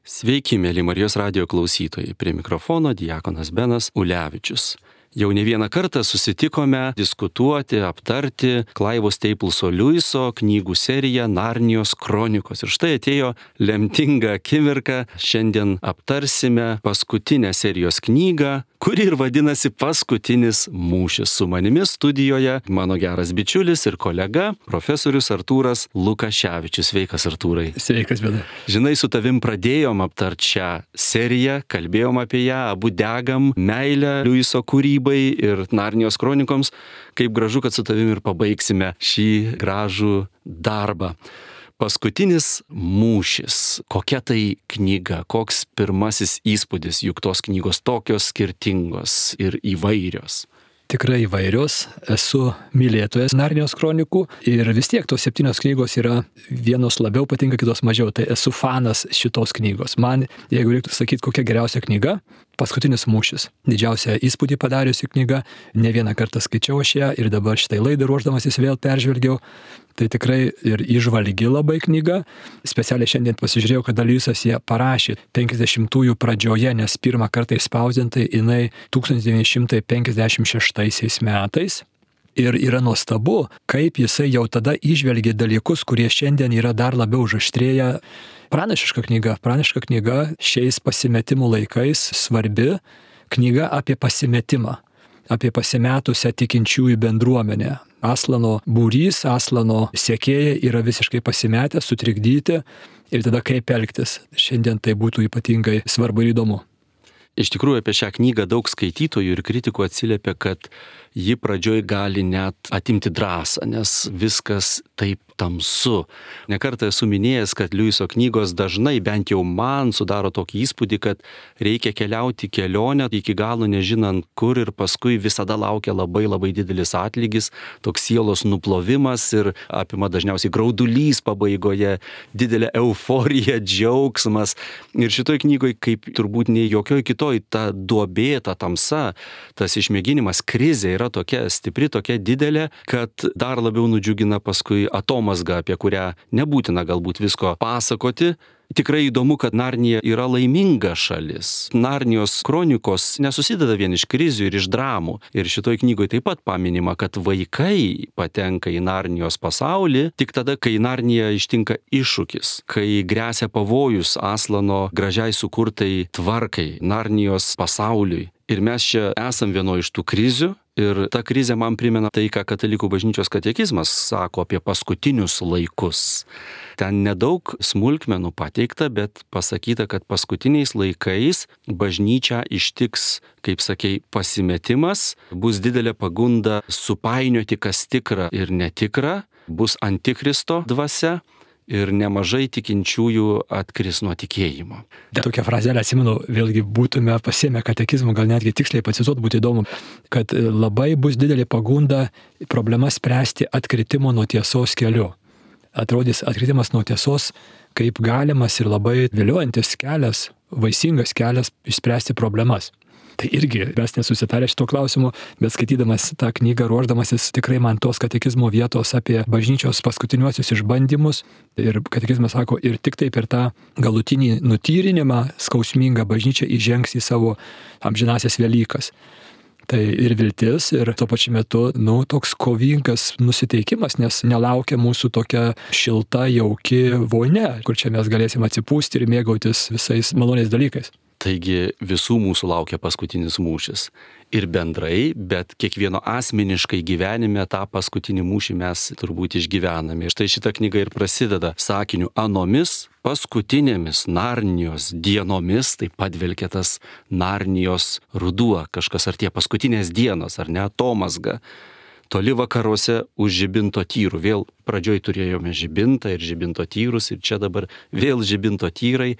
Sveiki, mėly Marijos radijo klausytojai. Prie mikrofono diakonas Benas Ulevičius. Jau ne vieną kartą susitikome diskutuoti, aptarti Clivo Stapleso Lewiso knygų seriją Narnijos kronikos. Ir štai atėjo lemtinga akimirka. Šiandien aptarsime paskutinę serijos knygą, kuri ir vadinasi Paskutinis mūšis. Su manimi studijoje mano geras bičiulis ir kolega, profesorius Artūras Lukaševičius. Sveikas, Artūrai. Sveikas, Bena. Žinai, su tavim pradėjom aptarti šią seriją, kalbėjom apie ją, abu degam meilę Lewiso kūrybai ir Narnijos kronikoms. Kaip gražu, kad su tavim ir pabaigsime šį gražų darbą. Paskutinis mūšis. Kokia tai knyga? Koks pirmasis įspūdis, juk tos knygos tokios skirtingos ir įvairios? Tikrai įvairios. Esu mylėtojas Narnijos kronikų ir vis tiek tos 7 knygos yra vienos labiau patinka, kitos mažiau. Tai esu fanas šitos knygos. Man, jeigu reiktų sakyti, kokia geriausia knyga, Paskutinis mūšis. Didžiausią įspūdį padariusi knyga. Ne vieną kartą skaičiau aš ją ir dabar šitai laidai ruošdamasis vėl peržvelgiau. Tai tikrai ir įžvalgi labai knyga. Specialiai šiandien pasižiūrėjau, kad Lewisas ją parašė 50-ųjų pradžioje, nes pirmą kartą išspausdintai jinai 1956 metais. Ir yra nuostabu, kaip jisai jau tada įžvelgė dalykus, kurie šiandien yra dar labiau užaštrėję. Pranašiška knyga šiais pasimetimų laikais, svarbi knyga apie pasimetimą, apie pasimetusią tikinčiųjų bendruomenę. Aslano būrys, Aslano sekėjai yra visiškai pasimetę, sutrikdyti ir tada kaip elgtis. Šiandien tai būtų ypatingai svarbu ir įdomu. Iš tikrųjų, apie šią knygą daug skaitytojų ir kritikų atsiliepia, kad ji pradžioj gali net atimti drąsą, nes viskas taip tamsu. Nekartą esu minėjęs, kad Lewiso knygos dažnai, bent jau man, sudaro tokį įspūdį, kad reikia keliauti kelionę iki galo nežinant kur ir paskui visada laukia labai didelis atlygis, toks sielos nuplovimas ir apima dažniausiai graudulys pabaigoje, didelė euforija, džiaugsmas. Ir šitoj knygoj, kaip turbūt nei jokioj kitoj, ta duobė, ta tamsa, tas išmėginimas, krizė yra tokia stipri, tokia didelė, kad dar labiau nudžiugina paskui atomazga, apie kurią nebūtina galbūt visko pasakoti. Tikrai įdomu, kad Narnija yra laiminga šalis. Narnijos kronikos nesusideda vien iš krizių ir iš dramų. Ir šitoj knygoje taip pat paminima, kad vaikai patenka į Narnijos pasaulį tik tada, kai Narnija ištinka iššūkis, kai gresia pavojus Aslano gražiai sukurtai tvarkai, Narnijos pasauliui. Ir mes čia esam vieno iš tų krizių. Ir ta krizė man primena tai, ką Katalikų bažnyčios katekizmas sako apie paskutinius laikus. Ten nedaug smulkmenų pateikta, bet pasakyta, kad paskutiniais laikais bažnyčią ištiks, kaip sakei, pasimetimas, bus didelė pagunda supainioti, kas tikra ir netikra, bus antikristo dvasia. Ir nemažai tikinčiųjų atkris nuo tikėjimo. Tokią frazelę atsimenu, vėlgi būtume pasiėmę katekizmą, gal netgi tiksliai pacituot būtų įdomu, kad labai bus didelė pagunda problemas spręsti atkritimo nuo tiesos keliu. Atrodys atkritimas nuo tiesos kaip galimas ir labai viliojantis kelias, vaisingas kelias išspręsti problemas. Tai irgi mes nesusitarę šito klausimu, bet skaitydamas tą knygą, ruošdamasis tikrai man tos katekizmo vietos apie bažnyčios paskutiniuosius išbandymus. Ir katekizmas sako, ir tik tai per tą galutinį nutyrinimą skausmingą bažnyčia įžengs į savo amžinasias Velykas. Tai ir viltis, ir tuo pačiu metu, toks kovingas nusiteikimas, nes nelaukia mūsų tokia šilta, jauki vonia, kur čia mes galėsim atsipūsti ir mėgautis visais maloniais dalykais. Taigi visų mūsų laukia paskutinis mūšis. Ir bendrai, bet kiekvieno asmeniškai gyvenime tą paskutinį mūšį mes turbūt išgyvename. Štai šita knyga ir prasideda sakiniu anomis paskutinėmis Narnijos dienomis, tai padvelkia tas Narnijos ruduo, kažkas ar tie paskutinės dienos, ar ne, atomazga. Toli vakaruose už žibinto tyrų. Vėl pradžioj turėjome žibintą ir žibinto tyrus ir čia dabar vėl žibinto tyrai.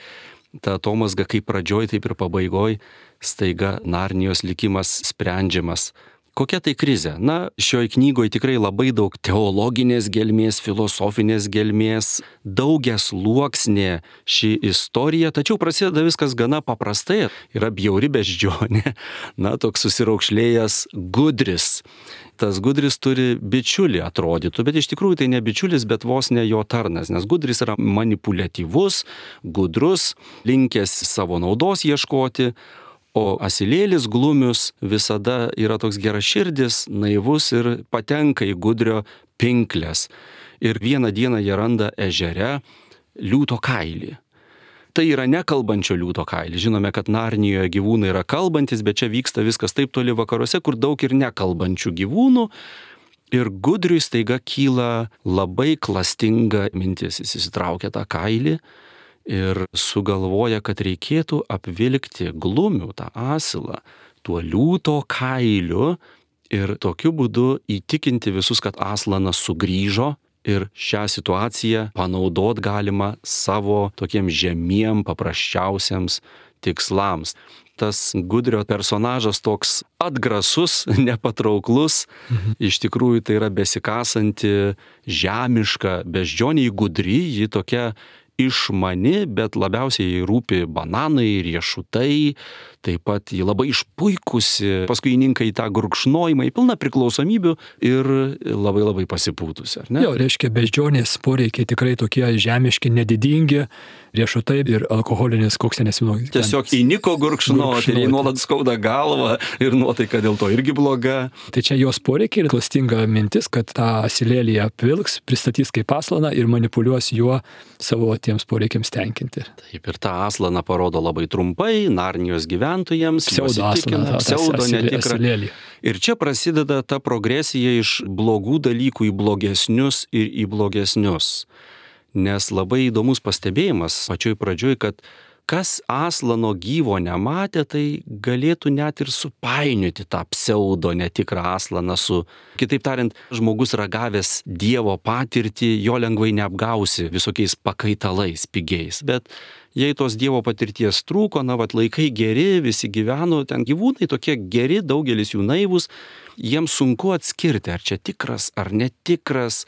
Ta atomazga kaip pradžioj, taip ir pabaigoj, staiga Narnijos likimas sprendžiamas. Kokia tai krizė? Na, šioj knygoje tikrai labai daug teologinės gelmės, filosofinės gelmės, daugias sluoksnė ši istorija, tačiau prasideda viskas gana paprastai. Yra bjauri beždžionė, na, toks susiraukšlėjęs Gudris. Tas Gudris turi bičiulį atrodytų, bet iš tikrųjų tai ne bičiulis, bet vos ne jo tarnas, nes Gudris yra manipuliatyvus, gudrus, linkęs savo naudos ieškoti, o asilėlis Glumius visada yra toks geraširdis, naivus ir patenka į Gudrio pinklės. Ir vieną dieną jie randa ežere liūto kailį. Tai yra nekalbančio liūto kailį. Žinome, kad Narnijoje gyvūnai yra kalbantis, bet čia vyksta viskas taip toli vakaruose, kur daug ir nekalbančių gyvūnų. Ir Gudriui staiga kyla labai klastinga mintis. Jis įsitraukia tą kailį ir sugalvoja, kad reikėtų apvilkti Glumių, tą asilą, tuo liūto kailiu ir tokiu būdu įtikinti visus, kad Aslanas sugrįžo ir šią situaciją panaudot galima savo tokiem žemiem, paprasčiausiams tikslams. Tas Gudrio personažas toks atgrasus, nepatrauklus, iš tikrųjų tai yra besikasanti žemiška beždžionė, Gudri, ji tokia išmani, bet labiausiai jai rūpi bananai, riešutai, taip pat ji labai išpuikusi, paskui įninka į tą gurkšnojimą, į pilną priklausomybių ir labai pasipūtusi, ar ne? Jo, reiškia, beždžionės poreikiai tikrai tokie žemiški, nedidingi, riešutai ir alkoholinis koksinės vyno. Tiesiog įniko gurkšnoti ir jai nuolat skauda galvą ir nuotaika dėl to irgi bloga. Tai čia jos poreikiai ir klastinga mintis, kad tą asilėlį apvilks, pristatys kaip aslaną ir manipuliuos juo savo tiems poreikiams tenkinti. Taip, ir tą aslaną parodo labai trumpai, Narnijos gyventojams, pseudo netikrą. Ir čia prasideda ta progresija iš blogų dalykų į blogesnius ir į blogesnius. Nes labai įdomus pastebėjimas pačioj pradžioj, kad kas Aslano gyvo nematė, tai galėtų net ir supainioti tą pseudo netikrą Aslaną su, kitaip tariant, žmogus ragavęs Dievo patirtį, jo lengvai neapgausi visokiais pakaitalais pigiais. Bet jei tos Dievo patirties trūko, laikai geri, visi gyveno, ten gyvūnai tokie geri, daugelis jų naivus, jiems sunku atskirti, ar čia tikras, ar netikras.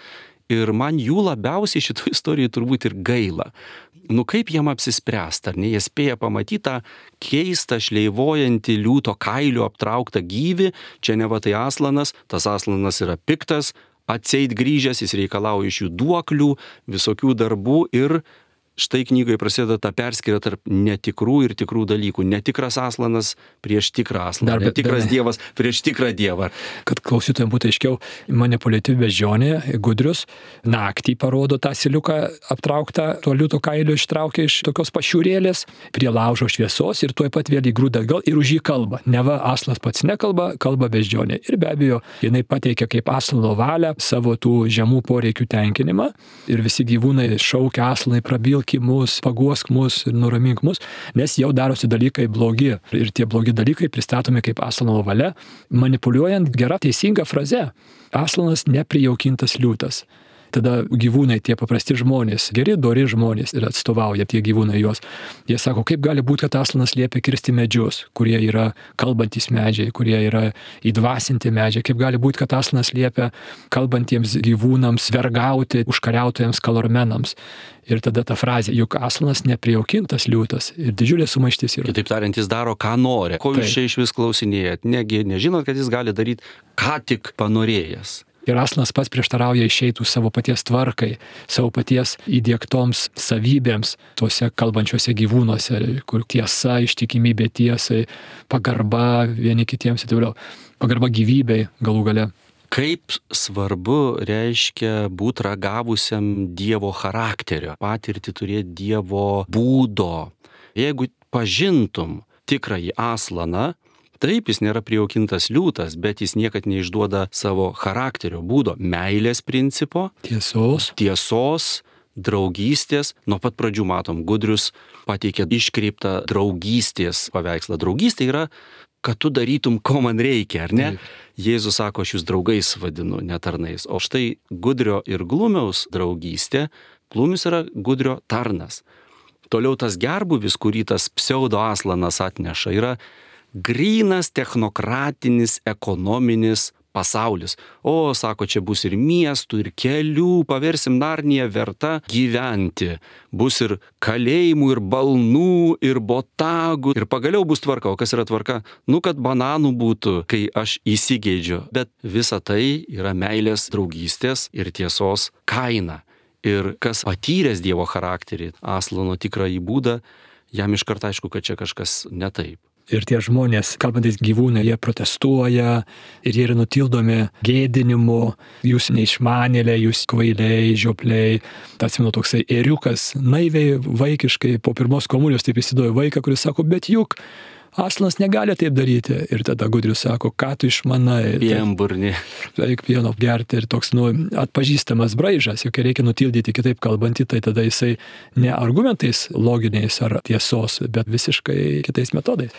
Ir man jų labiausiai šito istorijoje turbūt ir gaila. Kaip jiem apsispręsti, ar ne? Jie spėja pamatyti tą keistą, šleivojantį liūto kailių aptrauktą gyvį, čia neva tai Aslanas, tas Aslanas yra piktas, atseit grįžęs, jis reikalauja iš jų duoklių, visokių darbų ir štai knygoje prasideda ta perskyra tarp netikrų ir tikrų dalykų. Netikras Aslanas prieš tikrą Aslaną, netikras Dievas prieš tikrą Dievą. Kad klausytojams būtų aiškiau, manipuliatyvi beždžionė, Gudrius, naktį parodo tą asiliuką aptrauktą, tuo liūto kailiu ištraukia iš tokios pašiūrėlės, prie laužo šviesos ir tuoj pat vėl įgrūda atgal ir už jį kalba. Neva Aslas pats nekalba, kalba beždžionė. Ir be abejo, jinai pateikia kaip Aslano valią savo tų žemų poreikių tenkinimą ir visi gyvūnai šaukia Aslanai, prabilk mus, paguosk mus ir nuramink mus, nes jau darosi dalykai blogi. Ir tie blogi dalykai pristatomi kaip Aslano valia, manipuliuojant gera teisinga fraze. Aslanas neprijaukintas liūtas. Tada gyvūnai, tie paprasti žmonės, geri, dori žmonės ir atstovauja tie gyvūnai juos. Jie sako, kaip gali būti, kad Aslanas liepia kirsti medžius, kurie yra kalbantys medžiai, kurie yra įdvasinti medžiai. Kaip gali būti, kad Aslanas liepia kalbantiems gyvūnams vergauti užkariautojams kalormenams. Ir tada ta frazė, juk Aslanas neprijaukintas liūtas ir didžiulė sumaištis yra. Kitaip tariant, jis daro, ką nori. Ko jūs čia iš vis klausinėjat? Negi nežinot, kad jis gali daryti, ką tik panorėjęs. Ir Aslanas pats prieštarauja išeitų savo paties tvarkai, savo paties įdiegtoms savybėms tuose kalbančiuose gyvūnuose, kur tiesa, ištikimybė tiesai, pagarba vieni kitiems ir taip toliau. Pagarba gyvybei galų gale. Kaip svarbu reiškia būti ragavusiam Dievo charakterio, patirti turėti Dievo būdo. Jeigu pažintum tikrąjį Aslaną, taip, jis nėra prijaukintas liūtas, bet jis niekad neišduoda savo charakterio būdo, meilės principo, tiesos, draugystės. Nuo pat pradžių matom, Gudrius pateikia iškreiptą draugystės paveikslą. Draugystė yra, kad tu darytum, ko man reikia, ar ne? Taip. Jėzus sako, aš jūs draugais vadinu, ne tarnais. O štai Gudrio ir Glumiaus draugystė, Glumius yra Gudrio tarnas. Toliau tas gerbuvis, kurį tas pseudo Aslanas atneša, yra grynas technokratinis ekonominis pasaulis. O, sako, čia bus ir miestų, ir kelių, paversim Narniją verta gyventi. Bus ir kalėjimų, ir balnų, ir botagų, ir pagaliau bus tvarka. O kas yra tvarka? Kad bananų būtų, kai aš įsigeidžiu. Bet visa tai yra meilės, draugystės ir tiesos kaina. Ir kas patyręs Dievo charakterį, Aslano tikrąjį būdą, jam iškart aišku, kad čia kažkas ne taip. Ir tie žmonės, kalbantis gyvūnai, jie protestuoja ir jie yra nutildomi gėdinimu, jūs neišmanėliai, jūs kvailiai, žiopliai. Atsimenu toksai ėriukas, naiviai, vaikiškai, po pirmos komunijos taip įsivaizduoja vaiką, kuris sako, bet juk Aslanas negali taip daryti. Ir tada Gudrius sako, ką tu išmanai. Pienburnį. Reik pieno gerti ir toks, atpažįstamas braižas, juk reikia nutildyti kitaip kalbantį, tai tada jisai ne argumentais loginiais ar tiesos, bet visiškai kitais metodais.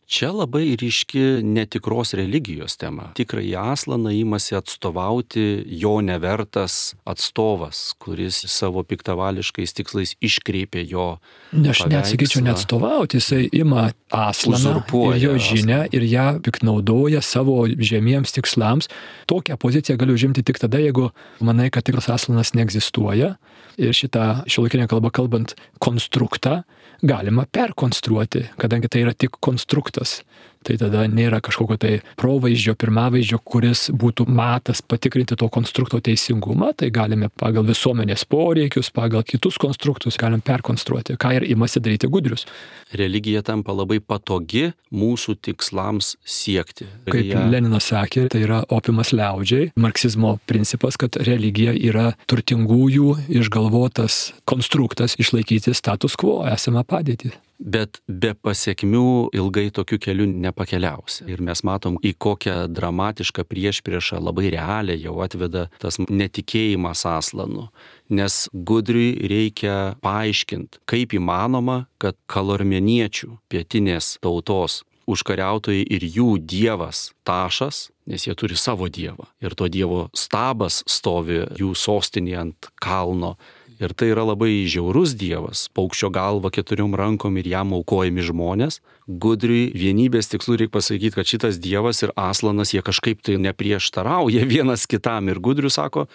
Čia labai ryški netikros religijos tema. Tikrąjį Aslaną imasi atstovauti jo nevertas atstovas, kuris savo piktavališkais tikslais iškreipė jo paveikslą. Aš neatsakyčiau neatstovauti, jisai ima Aslaną ir jo žinią ir ją piknaudoja savo žemiems tikslams. Tokią poziciją galiu užimti tik tada, jeigu manai, kad tikras Aslanas neegzistuoja. Ir šitą šiuolaikinę kalbą kalbant konstruktą galima perkonstruoti, kadangi tai yra tik konstruktas. Tai tada nėra kažkokio tai provaizdžio, pirmavaizdžio, kuris būtų matas patikrinti to konstrukto teisingumą, tai galime pagal visuomenės poreikius, pagal kitus konstruktus galim perkonstruoti, ką ir imasi daryti Gudrius. Religija tampa labai patogi mūsų tikslams siekti. Kaip Leninas sakė, tai yra opiumas liaudžiai. Marksizmo principas, kad religija yra turtingųjų išgalvotas konstruktas išlaikyti status quo, esamą padėtį. Bet be pasiekmių ilgai tokiu keliu nepakeliausi. Ir mes matom, į kokią dramatišką priešpriešą labai realiai jau atveda tas netikėjimas Aslanu. Nes Gudriui reikia paaiškinti, kaip įmanoma, kad kalormeniečių pietinės tautos užkariautojai ir jų dievas Tašas, nes jie turi savo dievą. Ir to dievo stabas stovi jų sostinėje ant kalno. Ir tai yra labai žiaurus dievas, paukščio galva 4 rankom ir jam aukojami žmonės. Gudriui vienybės tikslu reikia pasakyti, kad šitas dievas ir Aslanas jie kažkaip tai neprieštarauja vienas kitam. Ir Gudrius sako,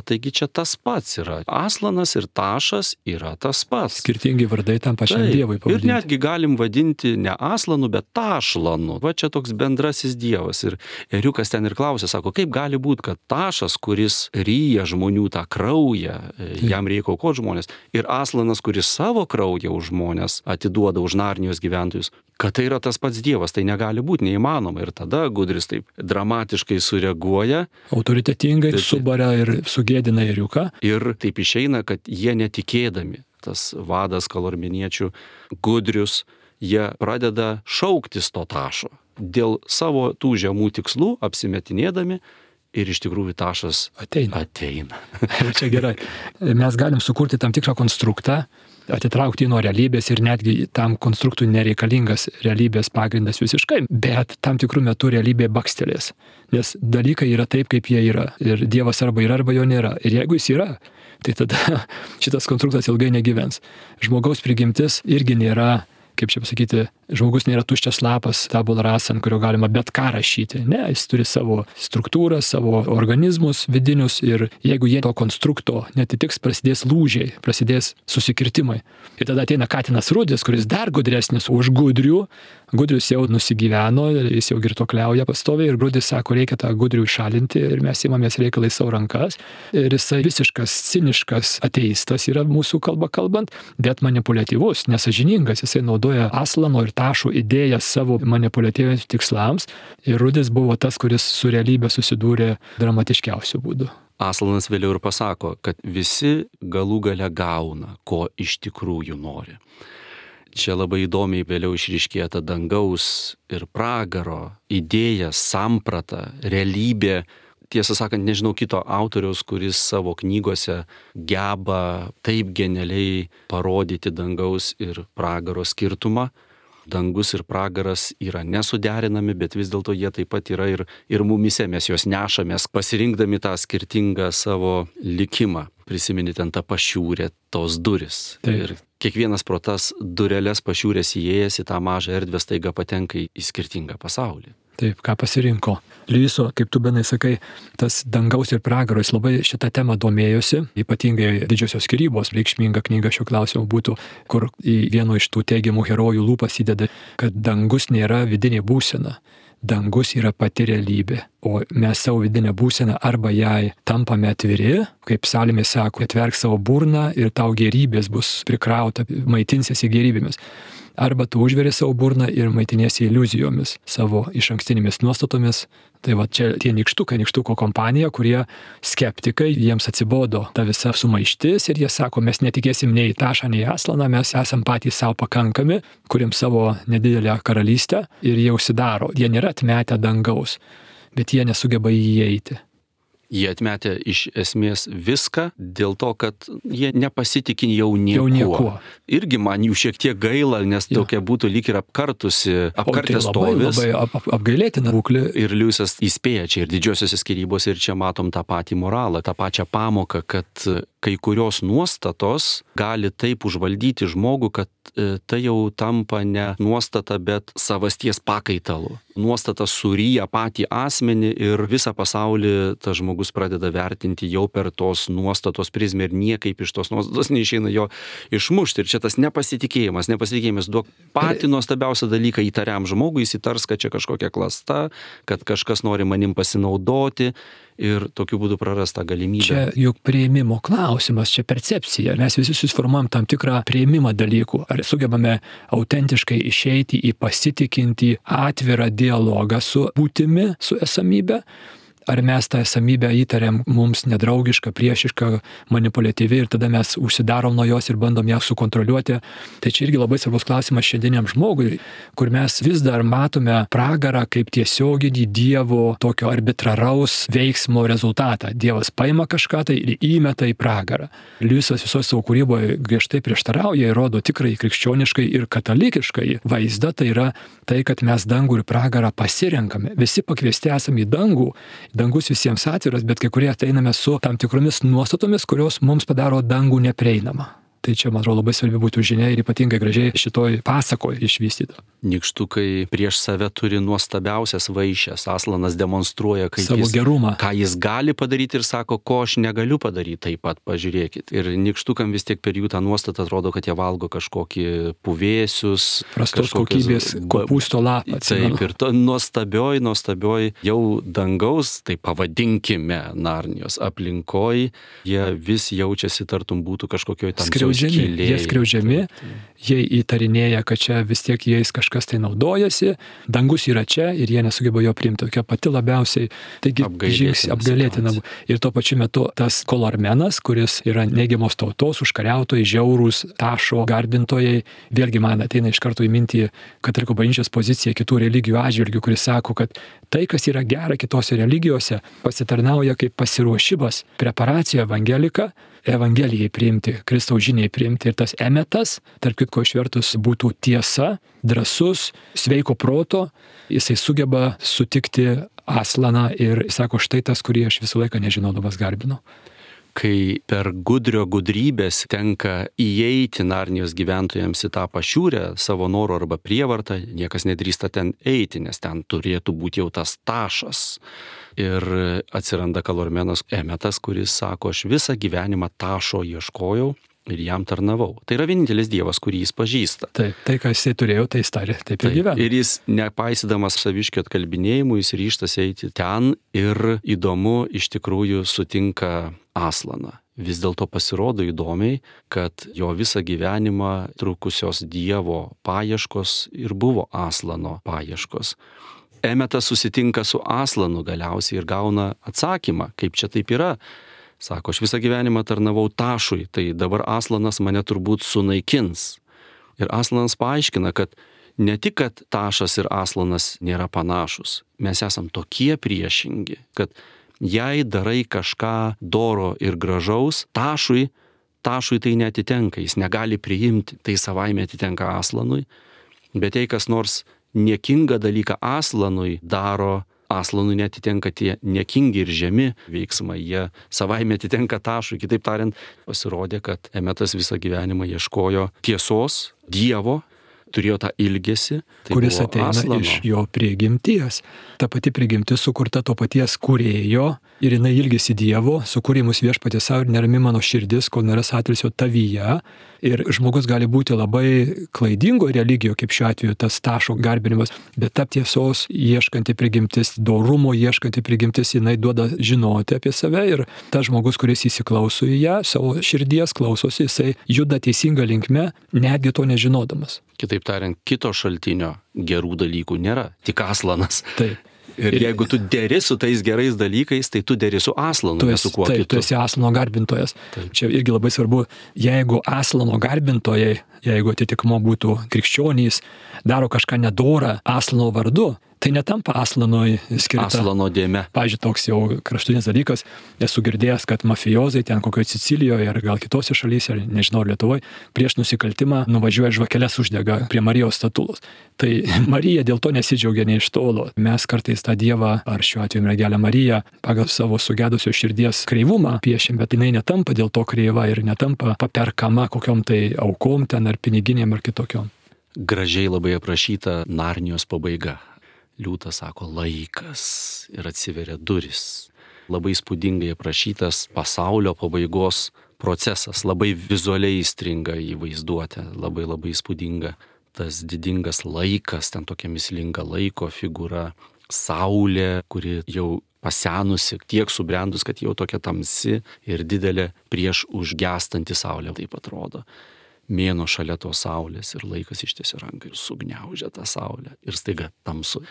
taigi čia tas pats yra. Aslanas ir Tašas yra tas pats. Skirtingi vardai tam pačiam dievui pavadinti. Ir netgi galim vadinti ne Aslanu, bet Tašlanu. Va čia toks bendrasis dievas. Ir ėriukas ten ir klausė, sako, kaip gali būti, kad Tašas, kuris ryja žmonių tą kraują, jam reikia aukoti žmonės, ir Aslanas, kuris savo kraują už žmonės atiduoda už Narnijos gyventojus, kad tai yra tas pats dievas, tai negali būti, neįmanoma. Ir tada Gudrius taip dramatiškai sureaguoja. Autoritetingai subaria ir sugėdina ėriuką. Ir taip išeina, kad jie netikėdami, tas vadas kalormeniečių Gudrius, jie pradeda šauktis to Tašo. Dėl savo tų žemų tikslų apsimetinėdami ir iš tikrųjų Tašas ateina. Čia gerai. Mes galim sukurti tam tikrą konstruktą, atitraukti nuo realybės ir netgi tam konstruktui nereikalingas realybės pagrindas visiškai, bet tam tikrų metų realybė bakstelės. Nes dalykai yra taip, kaip jie yra. Ir Dievas arba yra, arba jo nėra. Ir jeigu jis yra, tai tada šitas konstruktas ilgai negyvens. Žmogaus prigimtis irgi nėra, kaip čia pasakyti, žmogus nėra tuščias lapas, tabula rasa, ant kurio galima bet ką rašyti. Ne, jis turi savo struktūrą, savo organizmus vidinius ir jeigu jie to konstrukto netitiks, prasidės lūžiai, prasidės susikirtimai. Ir tada ateina Katinas Rudis, kuris dar gudresnis už Gudrių. Gudrius jau nusigyveno, jis jau girtuokliauja pastoviai ir Rudis sako, reikia tą Gudrių išalinti ir mes imamės reikalai savo rankas. Ir jisai visiškas, ciniškas ateistas yra mūsų kalba kalbant, bet manipuliatyvus, nesąžiningas. Jisai naudoja Aslano ir Tašų idėjas savo manipuliatyviams tikslams ir Rudis buvo tas, kuris su realybė susidūrė dramatiškiausiu būdu. Aslanas vėliau ir pasako, kad visi galų gale gauna, ko iš tikrųjų nori. Čia labai įdomiai vėliau išryškėja ta dangaus ir pragaro idėja, samprata, realybė. Tiesą sakant, nežinau kito autoriaus, kuris savo knygose geba taip genialiai parodyti dangaus ir pragaro skirtumą. dangus ir pragaras yra nesuderinami, bet vis dėlto jie taip pat yra ir mumise, mes juos nešamės, pasirinkdami tą skirtingą savo likimą. Prisimeni ten tą pašiūrę, tos duris. Taip. Ir kiekvienas pro tas dureles pašiūrės įėjęs į tą mažą erdvę staiga patenka į skirtingą pasaulį. Taip, ką pasirinko. Liujiso, kaip tu Benai sakai, tas dangaus ir pragaro, jis labai šitą temą domėjosi, ypatingai Didžiosios skyrybos, reikšminga knyga šio klausimo būtų, kur į vieno iš tų teigiamų herojų lūpas įdeda, kad dangus nėra vidinė būsena. Dangus yra pati realybė, o mes savo vidinę būseną arba jai tampame atviri, kaip psalmė sako, atverk savo burną ir tau gerybės bus prikrauta, maitinsiesi gerybėmis. Arba tu užveri savo burną ir maitiniesi iliuzijomis, savo išankstinėmis nuostatomis. Tai va čia tie nykštuko kompanija, kurie skeptikai, jiems atsibodo ta visa sumaištis ir jie sako, mes netikėsim nei į Tašą, nei į Aslaną, mes esam patys savo pakankami, kuriam savo nedidelę karalystę ir jie užsidaro. Jie nėra atmetę dangaus, bet jie nesugeba įeiti. Jie atmetė iš esmės viską dėl to, kad jie nepasitikė jau niekuo. Irgi man jų šiek tiek gaila, nes tokia būtų lyg ir apkartęs stovis. Labai apgailėtina būklė. Ir Liujisas įspėja čia ir Didžiosiose skyrybose, ir čia matom tą patį moralą, tą pačią pamoką, kad kai kurios nuostatos gali taip užvaldyti žmogų, kad tai jau tampa ne nuostata, bet savasties pakaitalu. Nuostata suryja patį asmenį ir visą pasaulį tas žmogus pradeda vertinti jau per tos nuostatos prizmę ir niekaip iš tos nuostatos neišeina jo išmušti. Ir čia tas nepasitikėjimas duok patį nuostabiausią dalyką įtariam žmogui, jis įtars, kad čia kažkokia klasta, kad kažkas nori manim pasinaudoti. Ir tokiu būdu prarasta galimybė. Čia juk priėmimo klausimas, čia percepcija. Mes visi susiformuojam tam tikrą priėmimą dalykų. Ar sugebame autentiškai išeiti į pasitikintį atvirą dialogą su būtimi, su esamybe? Ar mes tą esamybę įtariam mums nedraugišką, priešišką, manipuliatyvi ir tada mes užsidarom nuo jos ir bandom ją sukontroliuoti. Tai čia irgi labai svarbus klausimas šiandieniam žmogui, kur mes vis dar matome pragarą kaip tiesioginį Dievo tokio arbitraraus veiksmo rezultatą. Dievas paima kažką tai ir įmeta į pragarą. Liujisas visoje savo kūryboje griežtai prieštarauja ir rodo tikrai krikščioniškai ir katalikiškai vaizdą, tai yra tai, kad mes dangų ir pragarą pasirenkame. Visi pakviesti esame į dangų. Dangus visiems atviras, bet kai kurie ateiname su tam tikromis nuostatomis, kurios mums padaro dangų neprieinamą. Tai čia, man atrodo, labai svarbi būtų žinia ir ypatingai gražiai šitoj pasakoje išvystyta. Nykštukai prieš save turi nuostabiausias vaišes. Aslanas demonstruoja, savo gerumą, ką jis gali padaryti ir sako, ko aš negaliu padaryti, taip pat pažiūrėkit. Ir nykštukam vis tiek per jų tą nuostatą atrodo, kad jie valgo kažkokį puvėsius. Prastos kokybės kopūsto lapą. Taip, ir to nuostabioj jau dangaus, tai pavadinkime Narnijos aplinkoj, jie vis jaučiasi tartum būtų kažkokioj tamsioj skylėje. Jie skriaudžiami, jie įtarinėja, kad čia vis tiek jais kažkas tai naudojasi, dangus yra čia ir jie nesugeba jo priimti. Tokia pati labiausiai, taigi apgailėtina. Ir tuo pačiu metu tas Kolormenas, kuris yra neigiamos tautos, užkariautojai, žiaurūs, Tašo garbintojai, vėlgi man ateina iš karto į mintį katalikų bažnyčios pozicija kitų religijų atžvilgių, kuris sako, kad tai, kas yra gera kitose religijose, pasitarnauja kaip pasiruošimas, preparacija Evangelijai priimti, Kristaus žiniai priimti. Ir tas emetas, tarp kitko išvertus, būtų tiesa, drąsus, sveiko proto, jisai sugeba sutikti Aslaną ir sako, štai tas, kurį aš visą laiką nežinodamas garbinau. Kai per gudrio gudrybės tenka įeiti Narnijos gyventojams į tą pašiūrę savo norų arba prievartą, niekas nedrįsta ten eiti, nes ten turėtų būti jau tas Tašas. Ir atsiranda Kolormenas Emetas, kuris sako, aš visą gyvenimą Tašo ieškojau ir jam tarnavau. Tai yra vienintelis Dievas, kurį jis pažįsta. Taip, tai, ką jisai turėjo, tai jis tarė, taip ir gyveno. Ir jis, nepaisydamas saviškio atkalbinėjimų, jis ryžtas eiti ten ir įdomu, iš tikrųjų sutinka Aslaną. Vis dėlto pasirodo įdomiai, kad jo visą gyvenimą trukusios Dievo paieškos ir buvo Aslano paieškos. Emetas susitinka su Aslanu galiausiai ir gauna atsakymą, kaip čia taip yra. Sako, aš visą gyvenimą tarnavau Tašui, tai dabar Aslanas mane turbūt sunaikins. Ir Aslanas paaiškina, kad ne tik, kad Tašas ir Aslanas nėra panašus, mes esam tokie priešingi, kad jei darai kažką doro ir gražaus, Tašui tai neatitenka, jis negali priimti, tai savaime atitenka Aslanui. Bet jei kas nors niekingą dalyką Aslanui daro, Aslanui netitenka tie niekingi ir žemi veiksmai, jie savaime atitenka Tašui. Kitaip tariant, pasirodė, kad Emetas visą gyvenimą ieškojo tiesos, Dievo, turėjo tą ilgesį, kuris ateina Aslano. iš jo prigimties. Ta pati prigimtis sukurta to paties kūrėjo ir jinai ilgisi Dievo, sukūrė mus viešpatys savo ir nerami mano širdis, kol nėra atilsio tavyje. Ir žmogus gali būti labai klaidingo religijoje, kaip šiuo atveju tas Tašo garbinimas, bet ta tiesos ieškanti prigimtis, dorumo ieškanti prigimtis, jinai duoda žinoti apie save ir tas žmogus, kuris įsiklauso į ją, savo širdies klausosi, jisai juda teisinga linkme, netgi to nežinodamas. Kitaip tariant, kito šaltinio gerų dalykų nėra, tik Aslanas. Taip. Ir jeigu tu deri su tais gerais dalykais, tai tu deri su Aslanu, ne su kuo kitu. Tu esi Aslano garbintojas. Taip. Čia irgi labai svarbu, jeigu Aslano garbintojai, jeigu atitikmo būtų krikščionys, daro kažką nedorą Aslano vardu, tai netampa Aslanui skirta. Aslano dėme. Pavyzdžiui, toks jau kraštutinis dalykas, esu girdėjęs, kad mafijozai ten kokioje Sicilijoje ar gal kitose šalyse, ar nežinau, Lietuvoje, prieš nusikaltimą nuvažiuoja žvakeles uždega prie Marijos statulos. Tai Marija dėl to nesidžiaugia nei iš tolo. Mes kartais tą Dievą, ar šiuo atveju mergelę Mariją, pagal savo sugedusio širdies kreivumą piešim, bet jinai netampa dėl to kreiva ir netampa paperkama kokiom tai aukom ten ar piniginėm ar kitokiom. Gražiai labai aprašyta Narnijos pabaiga. Liūtas sako laikas ir atsiveria duris. Labai įspūdingai aprašytas pasaulio pabaigos procesas, labai vizualiai įstringa į vaizduotę, labai įspūdinga. Tas didingas laikas, ten tokia mislinga laiko figūra, saulė, kuri jau pasenusi, tiek subrendus, kad jau tokia tamsi ir didelė prieš užgęstanti saulė, taip atrodo. Mėnuo šalia tos saulės ir laikas ištiesia ranką ir sugniaužia tą saulę ir staiga tamsu.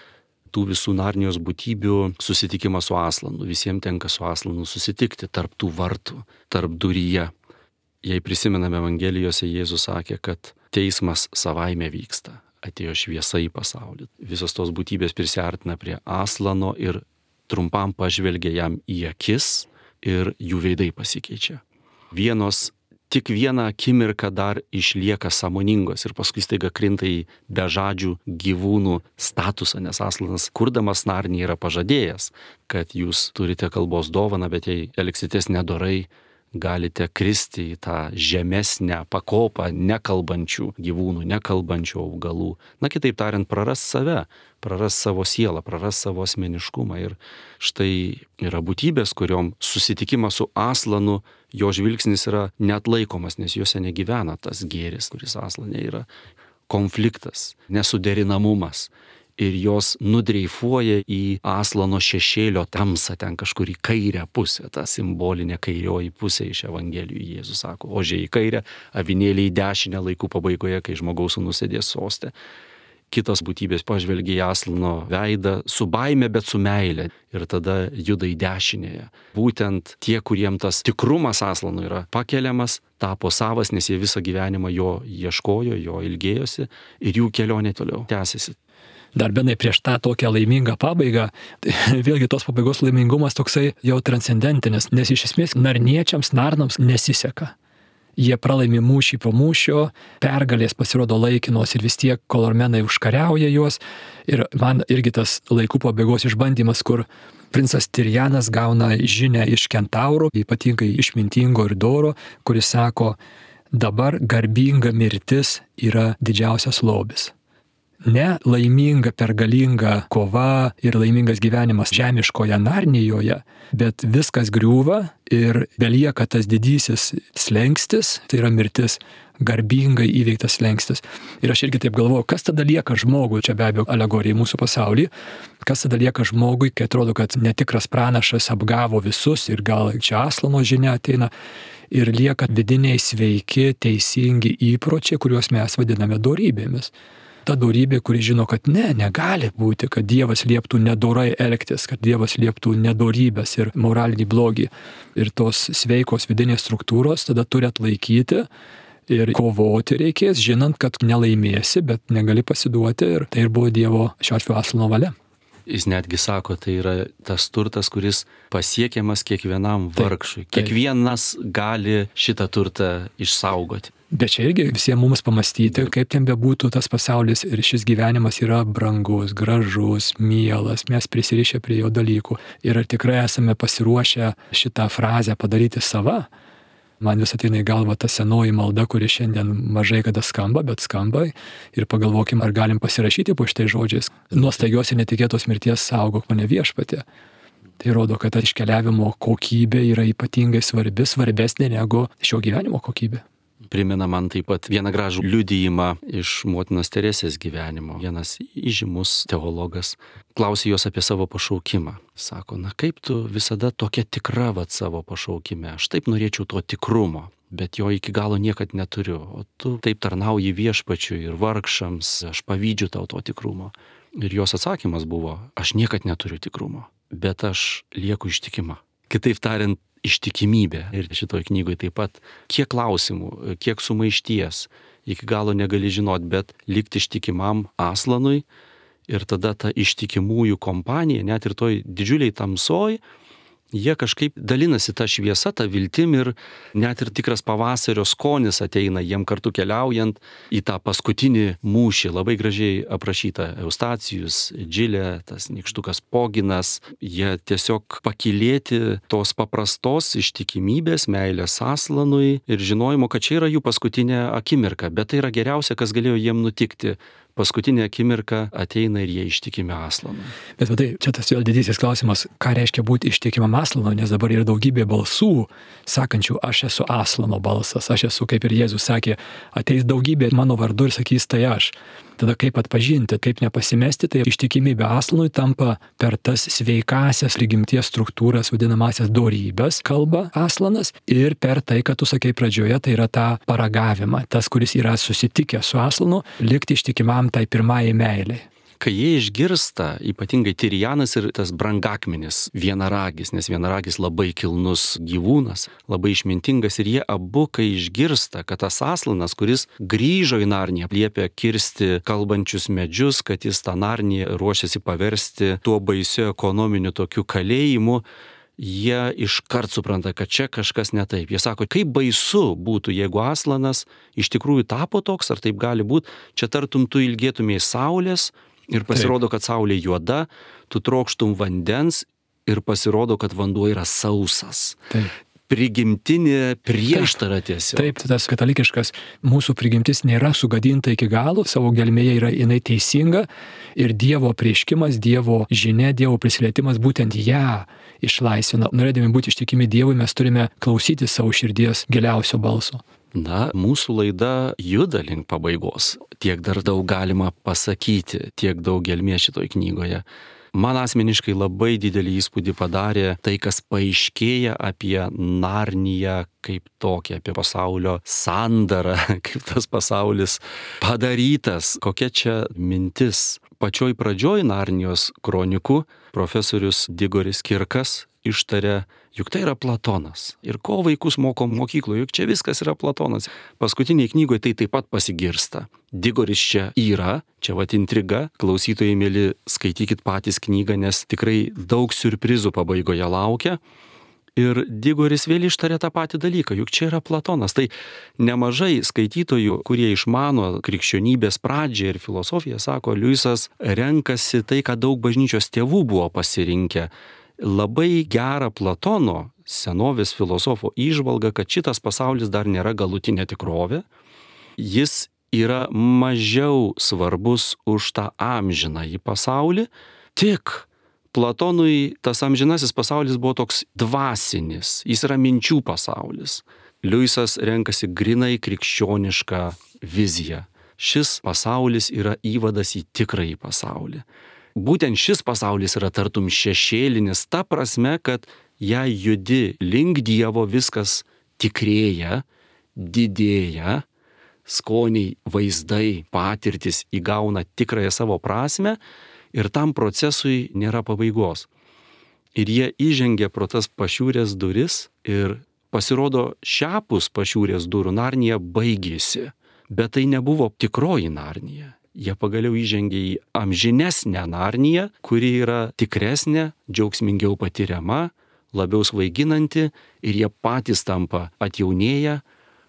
Tų visų Narnijos būtybių susitikimas su Aslanu, visiems tenka su Aslanu susitikti tarp tų vartų, tarp duryje. Jei prisimename Evangelijose, Jėzus sakė, kad teismas savaime vyksta, atėjo šviesa į pasaulį. Visos tos būtybės prisiartina prie Aslano ir trumpam pažvelgia jam į akis ir jų veidai pasikeičia. Vienos tik vieną akimirką dar išlieka sąmoningos ir paskui staiga krinta į bežadžių gyvūnų statusą, nes Aslanas, kurdamas Narniją, yra pažadėjęs, kad jūs turite kalbos dovaną, bet jei elgsitės nedorai, galite kristi į tą žemesnę pakopą nekalbančių gyvūnų, nekalbančių augalų. Na, kitaip tariant, praras save, praras savo sielą, praras savo asmeniškumą. Ir štai yra būtybės, kuriom susitikimas su Aslanu, jo žvilgsnis yra neatlaikomas, nes juose negyvena tas gėris, kuris Aslane yra. Konfliktas, nesuderinamumas. Ir jos nudreifuoja į Aslano šešėlio tamsą, ten kažkur į kairę pusę, ta simbolinė kairioji pusė iš Evangelijų. Jėzus sako, ožiai į kairę, avinėliai į dešinę laikų pabaigoje, kai žmogaus sūnus sėdės soste. Kitos būtybės pažvelgia į Aslano veidą su baime, bet su meile ir tada juda į dešinėje. Būtent tie, kuriem tas tikrumas Aslano yra pakeliamas, tapo savas, nes jie visą gyvenimą jo ieškojo, jo ilgėjosi ir jų kelionė toliau tęsiasi. Dar Benai, prieš tą tokią laimingą pabaigą, tai vėlgi tos pabaigos laimingumas toksai jau transcendentinis, nes iš esmės narniečiams, narnams nesiseka. Jie pralaimi mūšį po mūšio, pergalės pasirodo laikinos ir vis tiek kolormenai užkariauja juos. Ir man irgi tas laikų pabaigos išbandymas, kur princas Tirjanas gauna žinią iš kentaurų, ypatingai išmintingo ir doro, kuris sako, dabar garbinga mirtis yra didžiausias lobis. Ne laiminga, pergalinga kova ir laimingas gyvenimas žemiškoje Narnijoje, bet viskas griūva ir belieka tas didysis slengstis, tai yra mirtis, garbingai įveiktas slengstis. Ir aš irgi taip galvoju, kas tada lieka žmogui, čia be abejo alegorija į mūsų pasaulį, kas tada lieka žmogui, kai atrodo, kad netikras pranašas apgavo visus ir gal čia Aslano žinia ateina ir lieka vidiniai sveiki, teisingi įpročiai, kuriuos mes vadiname dorybėmis. Ta dorybė, kuri žino, kad negali būti, kad Dievas lieptų nedorai elgtis, kad Dievas lieptų nedorybės ir moralinį blogį. Ir tos sveikos vidinės struktūros tada turi atlaikyti ir kovoti reikės, žinant, kad nelaimėsi, bet negali pasiduoti. Ir tai ir buvo Dievo šiuo atveju Aslano valia. Jis netgi sako, tai yra tas turtas, kuris pasiekiamas kiekvienam vargšui. Kiekvienas gali šitą turtą išsaugoti. Bet čia irgi visiems mums pamastyti, kaip ten bebūtų tas pasaulis ir šis gyvenimas yra brangus, gražus, mielas, mes prisirišę prie jo dalykų. Ir ar tikrai esame pasiruošę šitą frazę padaryti sava? Man vis ateina į galvą ta senoji malda, kuri šiandien mažai kada skamba, bet skamba. Ir pagalvokim, ar galim pasirašyti po šitais žodžiais. Nuo staigios ir netikėtos mirties saugok mane viešpatie. Tai rodo, kad iškeliavimo kokybė yra ypatingai svarbi, svarbesnė negu šio gyvenimo kokybė. Primena man taip pat vieną gražų liudijimą iš motinos Teresės gyvenimo. Vienas įžymus teologas klausė jos apie savo pašaukimą. Sako, na kaip tu visada tokia tikra savo pašaukime? Aš taip norėčiau to tikrumo, bet jo iki galo niekad neturiu. O tu taip tarnauji viešpačiui ir vargšams, aš pavydžiu tau to tikrumo. Ir jos atsakymas buvo, aš niekad neturiu tikrumo, bet aš lieku ištikima. Kitaip tariant, ištikimybė. Ir šitoj knygoje taip pat, kiek klausimų, kiek sumaišties, iki galo negali žinot, bet likti ištikimam Aslanui ir tada ta ištikimųjų kompanija, net ir toj didžiuliai tamsoj, jie kažkaip dalinasi tą šviesą, tą viltim ir net ir tikras pavasario skonis ateina jiem kartu keliaujant į tą paskutinį mūšį. Labai gražiai aprašyta Eustacijus, Džilė, tas nykštukas Poginas. Jie tiesiog pakylėti tos paprastos ištikimybės, meilės Aslanui ir žinojimo, kad čia yra jų paskutinė akimirka. Bet tai yra geriausia, kas galėjo jiem nutikti. Paskutinė akimirka ateina ir jie ištikimi Aslanui. Bet tai čia tas vėl didysis klausimas, ką reiškia būti ištikimam Aslanui, nes dabar yra daugybė balsų, sakančių, aš esu Aslano balsas, aš esu, kaip ir Jėzus sakė, ateis daugybė mano vardu ir sakys, tai aš. Tada kaip atpažinti, kaip nepasimesti, tai ištikimybė Aslanui tampa per tas sveikasias prigimties struktūras, vadinamasias dorybės, kalba Aslanas, ir per tai, kad tu sakei pradžioje, tai yra tą paragavimą, tas, kuris yra susitikęs su Aslanu, likti ištikimam tai pirmajai meiliai. Kai jie išgirsta, ypatingai Tirianas ir tas brangakmenis, vienaragis, nes vienaragis labai kilnus gyvūnas, labai išmintingas, ir jie abu, kai išgirsta, kad tas Aslanas, kuris grįžo į Narniją, liepia kirsti kalbančius medžius, kad jis tą Narniją ruošiasi paversti tuo baisiu ekonominiu tokiu kalėjimu, jie iškart supranta, kad čia kažkas ne taip. Jie sako, kaip baisu būtų, jeigu Aslanas iš tikrųjų tapo toks, ar taip gali būti, čia tartum tu ilgėtumėjai saulės, ir pasirodo, kad saulė juoda, tu trokštum vandens ir pasirodo, kad vanduo yra sausas. Taip. Prigimtinė prieštara tiesiog. Taip, tas katalikiškas mūsų prigimtis nėra sugadinta iki galo, savo gelmėje yra jinai teisinga ir Dievo apreiškimas, Dievo žinia, Dievo prisilietimas būtent ją išlaisvina. Norėdami būti ištikimi Dievui, mes turime klausyti savo širdies giliausio balso. Na, mūsų laida juda link pabaigos. Tiek dar daug galima pasakyti, tiek daug gelmės šitoj knygoje. Man asmeniškai labai didelį įspūdį padarė tai, kas paaiškėja apie Narniją kaip tokią, apie pasaulio sandarą, kaip tas pasaulis padarytas, kokia čia mintis. Pačioj pradžioj Narnijos kronikų profesorius Digoris Kirkas ištarė, juk tai yra Platonas. Ir ko vaikus moko mokykloje, juk čia viskas yra Platonas. Paskutiniai knygoje tai taip pat pasigirsta. Digoris čia yra, čia vat intriga. Klausytojai mėly, skaitykit patys knygą, nes tikrai daug siurprizų pabaigoje laukia. Ir Digoris vėl ištarė tą patį dalyką, juk čia yra Platonas. Tai nemažai skaitytojų, kurie išmano krikščionybės pradžią ir filosofiją, sako, Liujisas renkasi tai, ką daug bažnyčios tėvų buvo pasirinkę. Labai gerą Platono, senovės filosofo įžvalgą, kad šitas pasaulis dar nėra galutinė tikrovė. Jis yra mažiau svarbus už tą amžinąjį pasaulį. Tik Platonui tas amžinasis pasaulis buvo toks dvasinis, jis yra minčių pasaulis. Liujisas renkasi grinai krikščionišką viziją. Šis pasaulis yra įvadas į tikrąjį pasaulį. Būtent šis pasaulis yra tartum šešėlinis, ta prasme, kad jei judi link Dievo, viskas tikrėja, didėja, skoniai, vaizdai, patirtis įgauna tikrąją savo prasme ir tam procesui nėra pabaigos. Ir jie įžengia pro tas pašiūrės duris ir pasirodo šiapus pašiūrės durų Narnija baigėsi, bet tai nebuvo tikroji Narnija. Jie pagaliau įžengė į amžinesnę Narniją, kuri yra tikresnė, džiaugsmingiau patiriama, labiau svaiginanti ir jie patys tampa atjaunėję,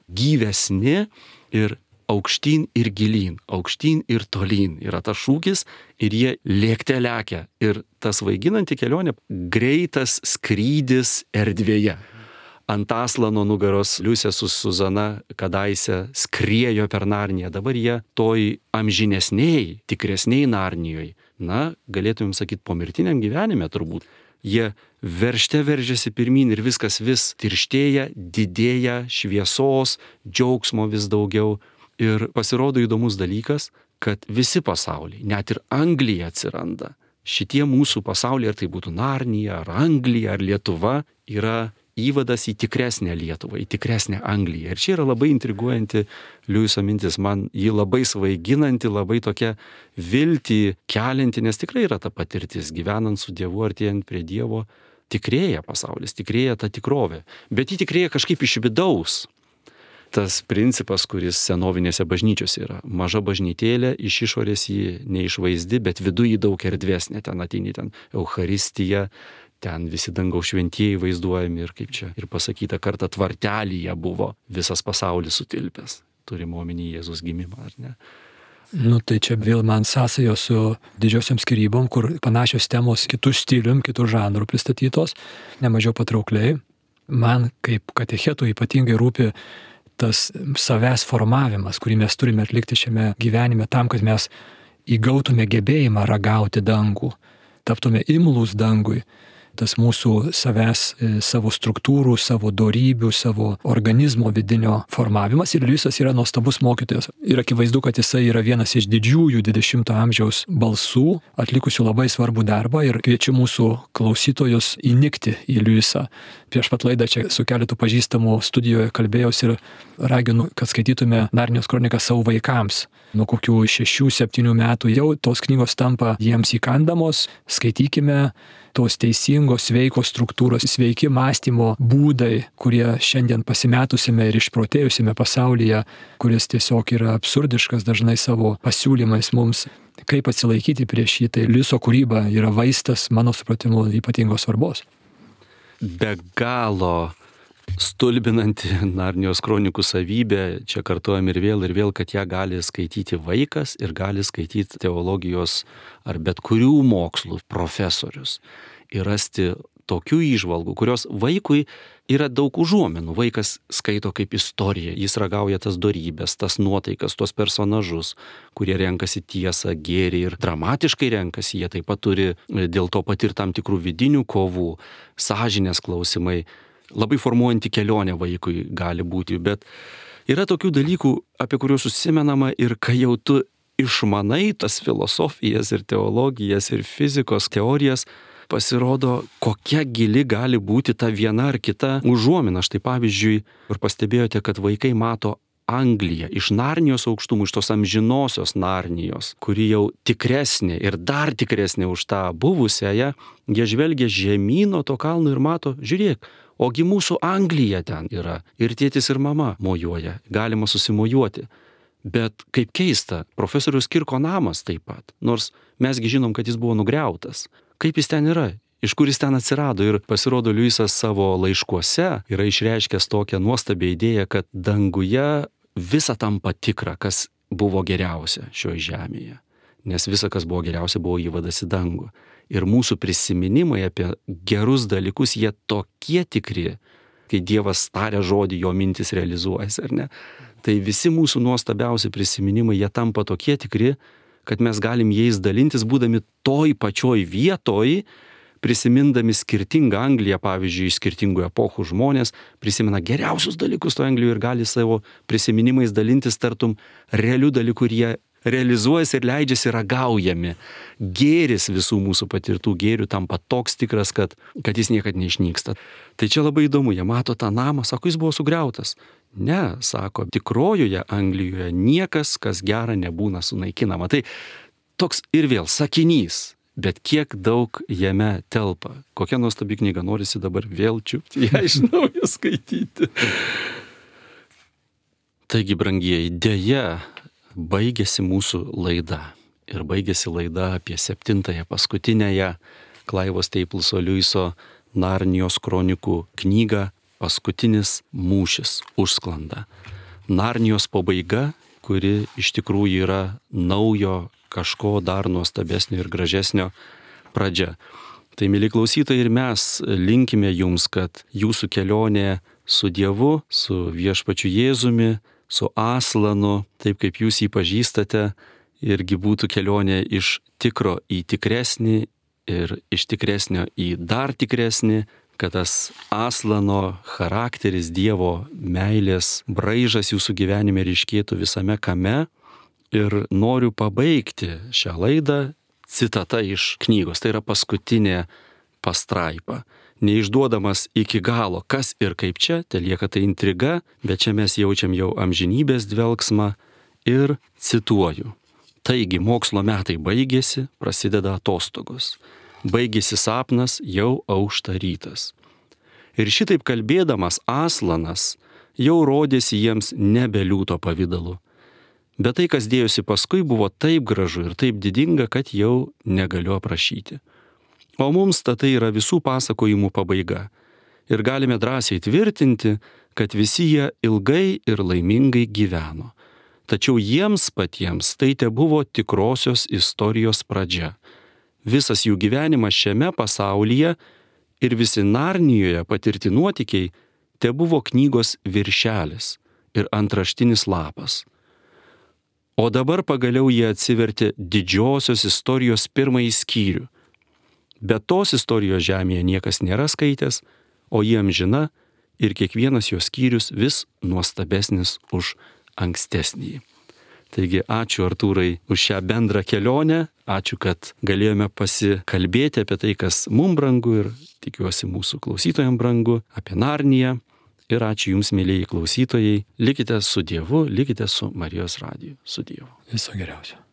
gyvesni ir aukštyn ir gilyn, aukštyn ir tolyn yra tas šūkis ir jie lėkte lekia. Ir tas svaiginanti kelionė, greitas skrydis erdvėje. Ant Aslano nugaros Liusė su Suzana kadaise skriejo per Narniją, dabar jie toj amžinesniai, tikresniai Narnijoj. Na, galėtumėm sakyti, pomirtiniam gyvenime turbūt. Jie veržiasi pirmyn ir viskas vis tirštėja, didėja, šviesos, džiaugsmo vis daugiau. Ir pasirodo įdomus dalykas, kad visi pasauliai, net ir Anglija atsiranda. Šitie mūsų pasauliai, ar tai būtų Narnija, ar Anglija, ar Lietuva, yra įvadas į tikresnę Lietuvą, į tikresnę Angliją. Ir čia yra labai intriguojanti Liuiso mintis, man ji labai svaiginanti, labai tokia viltį kelianti, nes tikrai yra ta patirtis, gyvenant su Dievu, artėjant prie Dievo, tikrėja pasaulis, tikrėja ta tikrovė. Bet ji tikrėja kažkaip iš vidaus. Tas principas, kuris senovinėse bažnyčiose yra. Maža bažnytėlė, iš išorės jį neišvaizdi, bet viduje daug erdvesnė. Ten ateini, ten Eucharistija, ten visi dangaus šventieji vaizduojami ir kaip čia ir pasakyta, kartą tvartelyje buvo visas pasaulis sutilpęs. Turime omeny Jėzus gimimą, ar ne? Nu tai čia vėl man sąsajo su didžiosiom skyrybom, kur panašios temos kitų stilium, kitų žanrų pristatytos, nemažiau patraukliai. Man kaip katechetų ypatingai rūpi tas savęs formavimas, kurį mes turime atlikti šiame gyvenime tam, kad mes įgautume gebėjimą ragauti dangų, taptume imlūs dangui. Tas mūsų savęs, savo struktūrų, savo dorybių, savo organizmo vidinio formavimas. Ir Liusas yra nuostabus mokytojas. Ir akivaizdu, kad jisai yra vienas iš didžiųjų 20-ojo amžiaus balsų, atlikusių labai svarbų darbą. Ir kviečiu mūsų klausytojus įnikti į Liusą. Prieš pat laidą čia su keletu pažįstamų studijoje kalbėjausi ir raginu, kad skaitytume Narnijos kroniką savo vaikams. Nuo kokių 6-7 metų jau tos knygos tampa jiems įkandamos. Skaitykime tos teisingos, sveikos struktūros, sveiki mąstymo būdai, kurie šiandien pasimetusime ir išprotėjusime pasaulyje, kuris tiesiog yra absurdiškas dažnai savo pasiūlymais mums. Kaip atsilaikyti prieš jį, tai Liuso kūryba yra vaistas, mano supratimu, ypatingos svarbos. Be galo stulbinanti Narnijos kronikų savybė, čia kartuojam ir vėl, kad ją gali skaityti vaikas ir gali skaityti teologijos ar bet kurių mokslų profesorius ir rasti tokių įžvalgų, kurios vaikui yra daug užuominų. Vaikas skaito kaip istoriją, jis ragauja tas dorybės, tas nuotaikas, tuos personažus, kurie renkasi tiesą, gėrį ir dramatiškai renkasi, jie taip pat turi dėl to patirti tam tikrų vidinių kovų, sąžinės klausimai. Labai formuojanti kelionė vaikui gali būti, bet yra tokių dalykų, apie kuriuos užsimenama ir kai jau tu išmanai tas filosofijas ir teologijas ir fizikos teorijas, pasirodo, kokia gili gali būti ta viena ar kita užuomina. Štai pavyzdžiui, ir pastebėjote, kad vaikai mato Angliją iš Narnijos aukštumų, iš tos amžinosios Narnijos, kuri jau tikresnė ir dar tikresnė už tą buvusiąją, jie žvelgia žemyn nuo to kalno ir mato, žiūrėk, ogi mūsų Anglija ten yra. Ir tėtis ir mama mojuoja, galima susimojuoti. Bet kaip keista, profesoriaus Kirko namas taip pat, nors mesgi žinom, kad jis buvo nugriautas. Kaip jis ten yra? Iš kur jis ten atsirado? Ir pasirodo, Liusas savo laiškuose yra išreiškęs tokią nuostabią idėją, kad danguje visa tampa tikra, kas buvo geriausia šioje žemėje. Nes visa, kas buvo geriausia, buvo įvadas į dangų. Ir mūsų prisiminimai apie gerus dalykus, jie tokie tikri, kai Dievas taria žodį, jo mintis realizuojasi, ar ne? Tai visi mūsų nuostabiausi prisiminimai, jie tampa tokie tikri, kad mes galim jais dalintis, būdami toj pačioj vietoj, prisimindami skirtingą Angliją, pavyzdžiui, iš skirtingų epochų žmonės prisimena geriausius dalykus to Anglijoje ir gali savo prisiminimais dalintis tartum realių dalykų ir jie realizuojasi ir leidžiasi ragaujami. Gėris visų mūsų patirtų gėrių tampa toks tikras, kad jis niekad neišnyksta. Tai čia labai įdomu, jie mato tą namą, sako, jis buvo sugriautas. Ne, sako, tikrojoje Anglijoje niekas, kas gera, nebūna sunaikinama. Tai toks ir vėl sakinys, bet kiek daug jame telpa. Kokia nuostabi knyga, norisi dabar vėl čiupti, ją iš naujo skaityti. Taigi, brangieji, deja, baigėsi mūsų laida. Ir baigėsi laida apie 7-ąją paskutinėje Clivo Stapleso Liuiso Narnijos kronikų knygą Paskutinis mūšis užsklanda. Narnijos pabaiga, kuri iš tikrųjų yra naujo kažko dar nuostabesnio ir gražesnio pradžia. Tai, mėly klausytojai, ir mes linkime jums, kad jūsų kelionė su Dievu, su viešpačiu Jėzumi, su Aslanu, taip kaip jūs jį pažįstate, irgi būtų kelionė iš tikro į tikresnį ir iš tikresnio į dar tikresnį, kad tas Aslano charakteris, Dievo meilės braižas jūsų gyvenime ryškėtų visame kame. Ir noriu pabaigti šią laidą citata iš knygos. Tai yra paskutinė pastraipa. Neišduodamas iki galo, kas ir kaip čia, telieka tai intriga, bet čia mes jaučiam jau amžinybės dvelgsmą ir cituoju. Taigi mokslo metai baigėsi, prasideda atostogos. Baigėsi sapnas, jau aušta rytas. Ir šitaip kalbėdamas Aslanas jau rodėsi jiems nebe liūto pavidalu. Bet tai, kas dėjosi paskui, buvo taip gražu ir taip didinga, kad jau negaliu aprašyti. O mums tai yra visų pasakojimų pabaiga. Ir galime drąsiai tvirtinti, kad visi jie ilgai ir laimingai gyveno. Tačiau jiems patiems tai tebuvo tikrosios istorijos pradžia. Visas jų gyvenimas šiame pasaulyje ir visi Narnijoje patirti nuotykiai tebuvo knygos viršelis ir antraštinis lapas. O dabar pagaliau jie atsivertė didžiosios istorijos pirmąjį skyrių. Bet tos istorijos žemėje niekas nėra skaitęs, o jie amžina ir kiekvienas jos skyrius vis nuostabesnis už ankstesnį. Taigi ačiū Artūrai už šią bendrą kelionę, ačiū, kad galėjome pasikalbėti apie tai, kas mums brangu ir tikiuosi mūsų klausytojams brangu, apie Narniją. Ir ačiū Jums, mėlyjei klausytojai, likite su Dievu, likite su Marijos radiju, su Dievu. Viso geriausio.